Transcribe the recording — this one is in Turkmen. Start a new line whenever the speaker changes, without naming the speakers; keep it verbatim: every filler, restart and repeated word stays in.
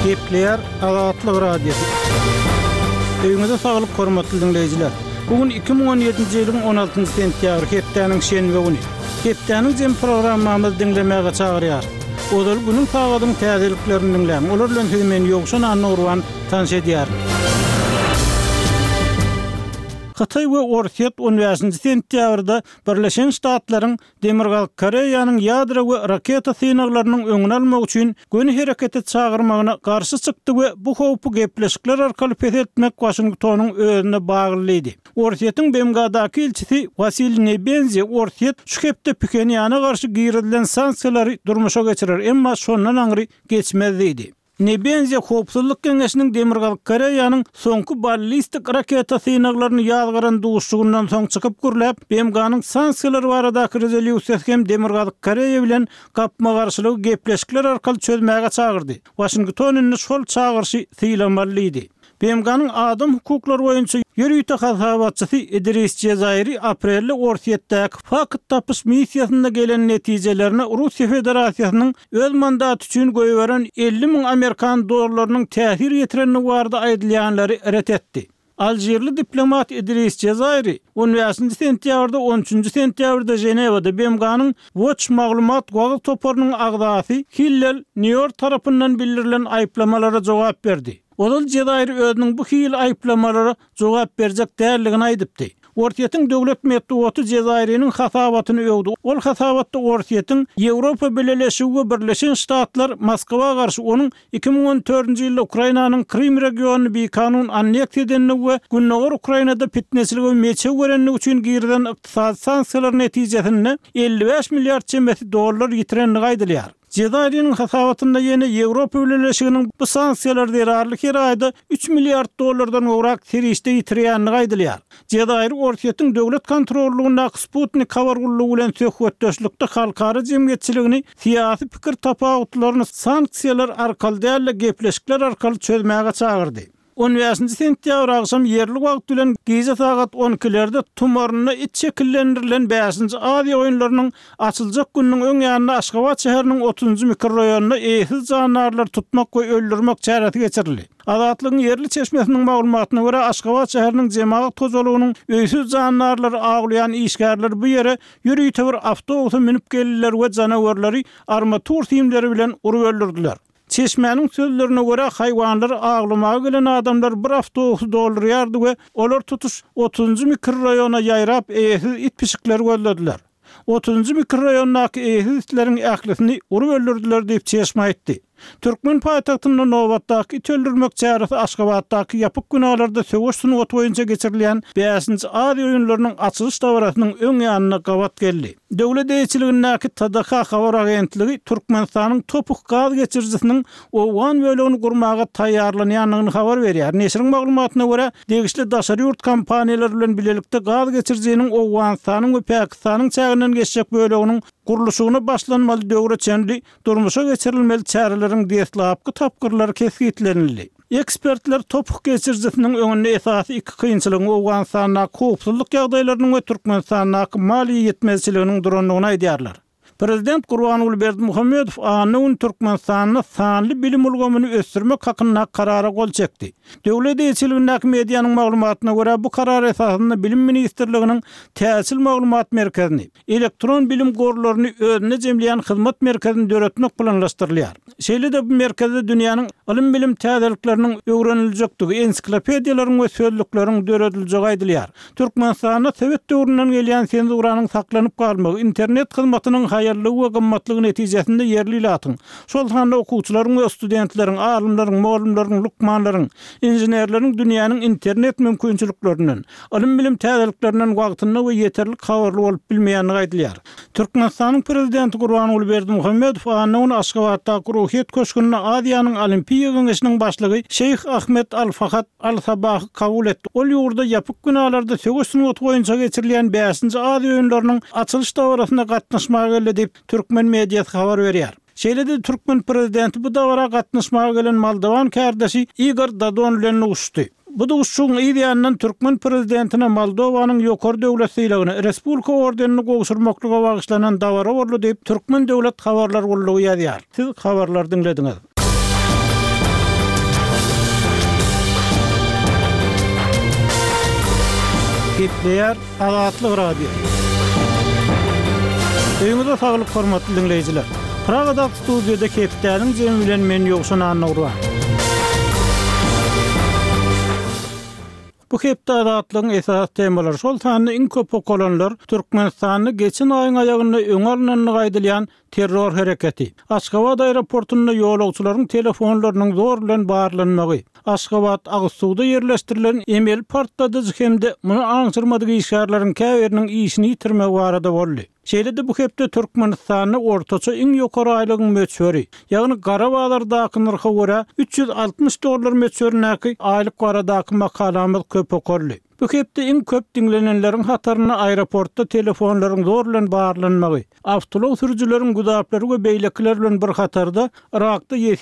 Gepleýär Azatlyk Radiosy. Öýüňize saglyk hormatly diňleýjiler. Bu gün iki müň on ýedinji ýylyň on altynjy sentýabry hepdäniň şenbe güni. Hepdäniň jem programmamyzy diňlemäge çagyrýarys. Ozal günüň sagadyň täzeliklerini diňläň. Olar bilen sizi men Ýowşan Annagurban tanyş edýärin. Hytaý we Orsýet on bäşinji sentýabrda Birleşen Ştatlaryň Demirgazyk Koreýanyň ýadro we raketa synaglarynyň öňüni almak üçin göni herekete çagyrmagyna garşy çykdy we bu howpy gepleşikler arkaly peseltmek Waşingtonyň özüne bagly diýdi. Orsýetiň B M G-daky ilçisi Wasiliý Nebenzi Orsýet şu hepde Phenýana garşy girizilen sanksiýalary durmuşa geçirer, emma şondan aňry geçmez diýdi. Nebenzi Howpsuzlyk Geňeşiniň Demirgazyk Koreýanyň soňky ballistik raketa synaglaryny ýazgaran duşuşygyndan soň çykyp gürläp, B M G-nyň sanksiýalary baradaky rezolýusiýasy hem Demirgazyk Koreýa bilen gapma-garşylygy gepleşikler arkaly çözmäge çagyrdy. Waşington indi şol çagyryşy sylamaly diýdi. B M G-nyň adam hukuklary boýunça ýörite hasabatçysy Idris Jezairi aprelde Orsýetdäki fakt tapyş missiýasynda gelen netijelerine Russiýa Federasiýasynyň öz mandaty üçin goýberen elli müň amerikan dollarynyň täsir ýetirenligi barada aýdylýanlary ret etdi. Alžirli diplomat Idris Jezairi on bäşinji sentýabrda on üçünji sentýabrda Ženewada B M G-nyň Watch maglumat wagyz toparynyň agzasy Hillel Nýor tarapyndan bildirilen aýyplamalara jogap berdi. Ozal Jezairi özüniň bu hili aýyplamalara jogap berjek däldigini aýdypdy. Orsýetiň döwlet metbugaty Jezairiniň hasabatyny öwdi. Ol hasabatda Orsýetiň Ýewropa Bileleşigi we Birleşen Ştatlar Moskwa garşy onuň iki müň on dördünji ýylda Ukrainanyň Krym regionyny bikanun anneksiýa edendigi we Gündogar Ukrainada fitneçilige meçew berendigi üçin girizilen ykdysady sanksiýalar netijesinde elli bäş milliard çemesi dollar ýitirendigi aýdylýar. Jezairiniň hasabatynda ýene Ýewropa Bileleşiginiň bu sanksiýalar zerarly her aýda üç milliard dollardan gowrak serişde ýitirýändigi aýdylýar. Jezairi Orsýetiň döwlet kontrollugyndaky Sputnik habar gullugy bilen söhbetdeşlikde halkara jemgyýetçiligini syýasy pikir tapawutlaryny sanksiýalar arkaly däl-de gepleşikler arkaly çözmäge çagyrdy. On bäşinji sentýabr agşam ýerli wagt bilen gije sagat on ikilerde tumarynda it şekillendirilen bäşinji Aziýa oýunlarynyň açyljak gününiň öň ýanynda Aşgabat şäheriniň otuzynjy mikroraýonynda eýesiz jandarlary tutmak we öldürmek çäresi geçirildi. Azatlygyň ýerli çeşmesiniň maglumatyna görä, Aşgabat şäheriniň jemagat hojalygynyň öýsüz jandarlary awlaýan işgärleri bu ýere ýörite bir awtobusa münüp geldiler we janawerleri armatur simleri bilen urup öldürdüler. Çeşmäniň sözlerine görä, haýwanlary awlamaga gelen adamlar bir awtobusy doldurýardy we olar tutuş otuzynjy mikroraýona ýaýrap eýesiz it pişikleri gözlediler. Otuzynjy mikroraýondaky eýesiz itleriň ählisini urup öldürdüler diýip çeşme aýtdy. Türkmen paýtagtynda nobatdaky it öldürmek çäresi Aşgabatdaky ýapyk binalarda söweş sungaty boýunça geçirilýän bäşinji Aziýa oýunlarynyň açylyş dabarasynyň öň ýanynda gabat geldi. Döwlet eýeçiligindäki T D H habar agentligi Türkmenistanyň Topuk gaz geçirijisiniň owgan bölegini gurmaga taýýarlanýandygyny habar berýär. Neşiriň maglumatyna görä, degişli daşary ýurt kompaniýalary bilen bilelikde gaz geçirijiniň Owganystanyň we Pakistanyň çäginden geçjek böleginiň gurluşygyna başlanmaly döwre çenli durmuşa geçirilmeli çäreleriň deslapky tapgyrlary kesgitlenildi. Ekspertler Topuk geçirijisiniň öňünde esasy iki kynçylygyň Owganystandaky howpsuzlyk ýagdaýlarynyň we Türkmenistandaky maliýe ýetmezçiliginiň durandygyny aýdýarlar. Prezident Gurbanguly Berdimuhamedow anna gün Türkmenistanda sanly bilim ulgamyny ösdürmek hakynda karara gol çekdi. Döwlet eýeçiligindäki medianyň maglumatyna görä, bu karar esasynda Bilim ministrliginiň täçil maglumat merkezini, elektron bilim gorlaryny özünde jemleýän hyzmat merkezini döretmek planlaşdyrylýar. Şeýle-de bu merkezde dünýäniň ylym bilim täzelikleriniň öwreniljekdigi, ensiklopediýalaryň we sözlükleriň dörediljegi aýdylýar. Türkmenistanda Sowet döwründen gelýän senzuranyň saklanyp galmagy, internet hyzmatynyň haýallygy we gymmatlygy netijesinde ýerli ilatyň, şol sanda okuwçylaryň we studentleriň, alymlaryň, mugallymlaryň, lukmanlaryň, inženerleriň dünýäniň internet mümkinçiliklerinden, ylym bilim täzeliklerinden wagtynda we ýeterlik habarly bolup bilmeýändigi aýdylýar. Türkmenistanyň prezidenti Gurbanguly Berdimuhamedow anna güni Aşgabatdaky Ruhyýet köşgünde Aziýanyň Olimpiýa Geňeşiniň başlygy Şeýh Ahmed Al-Fahad Al-Sabahy kabul etdi. Ol ýurda ýapyk binalarda söweş sungaty boýunça geçirilýän bäşinji Aziýa oýunlarynyň açylyş dabarasyna gatnaşmaga geldi diýip, türkmen mediasy habar berýär. Şeýle-de türkmen prezidenti bu dabara gatnaşmaga gelen moldowan kärdeşi Igor Dodon bilen duşuşdy. Bu duşuşygyň yz ýanyndan türkmen prezidentine Moldowanyň ýokary döwlet sylagyny, Respublika ordenini gowşurmaklyga bagyşlanan dabara boldy diýip, Türkmen döwlet habarlar gullugy ýazýar. Siz habarlary diňlediňiz. Gepleýär Azatlyk Radiosy. Öýüňize saglyk hormatly diňleýjiler. Pragadaky studiýada hepdäniň jemi bilen men Ýowşan Annagurban. Bu hepde Azatlygyň esasy temalary, şol sanda iň köp okalanlar Türkmenistanda geçen aýyň aýagynda öňi alnandygy aýdylýan terror hereketi, Aşgabat aeroportunda ýolagçylaryň telefonlarynyň zor bilen barlanmagy, Aşgabat agyz suwda ýerleşdirilen emeli partladyjy hem-de muny aňşyrmadyk işgärleriň käbiriniň işini ýitirmegi barada boldy. Şeýle-de bu hepde Türkmenistanda ortaça iň ýokary aýlygyň möçberi, ýagny gara bazardaky nyrha görä üç ýüz altmyş dollar möçberindäki aýlyk baradaky makalamyz köp okaldy. Bu hepde iň köp diňlenenleriň hatarynda aeroportda telefonlaryň zor bilen barlanmagy, awtoulag sürüjileriň güzaplary we beýlekiler bilen bir hatarda Yrakda ýesir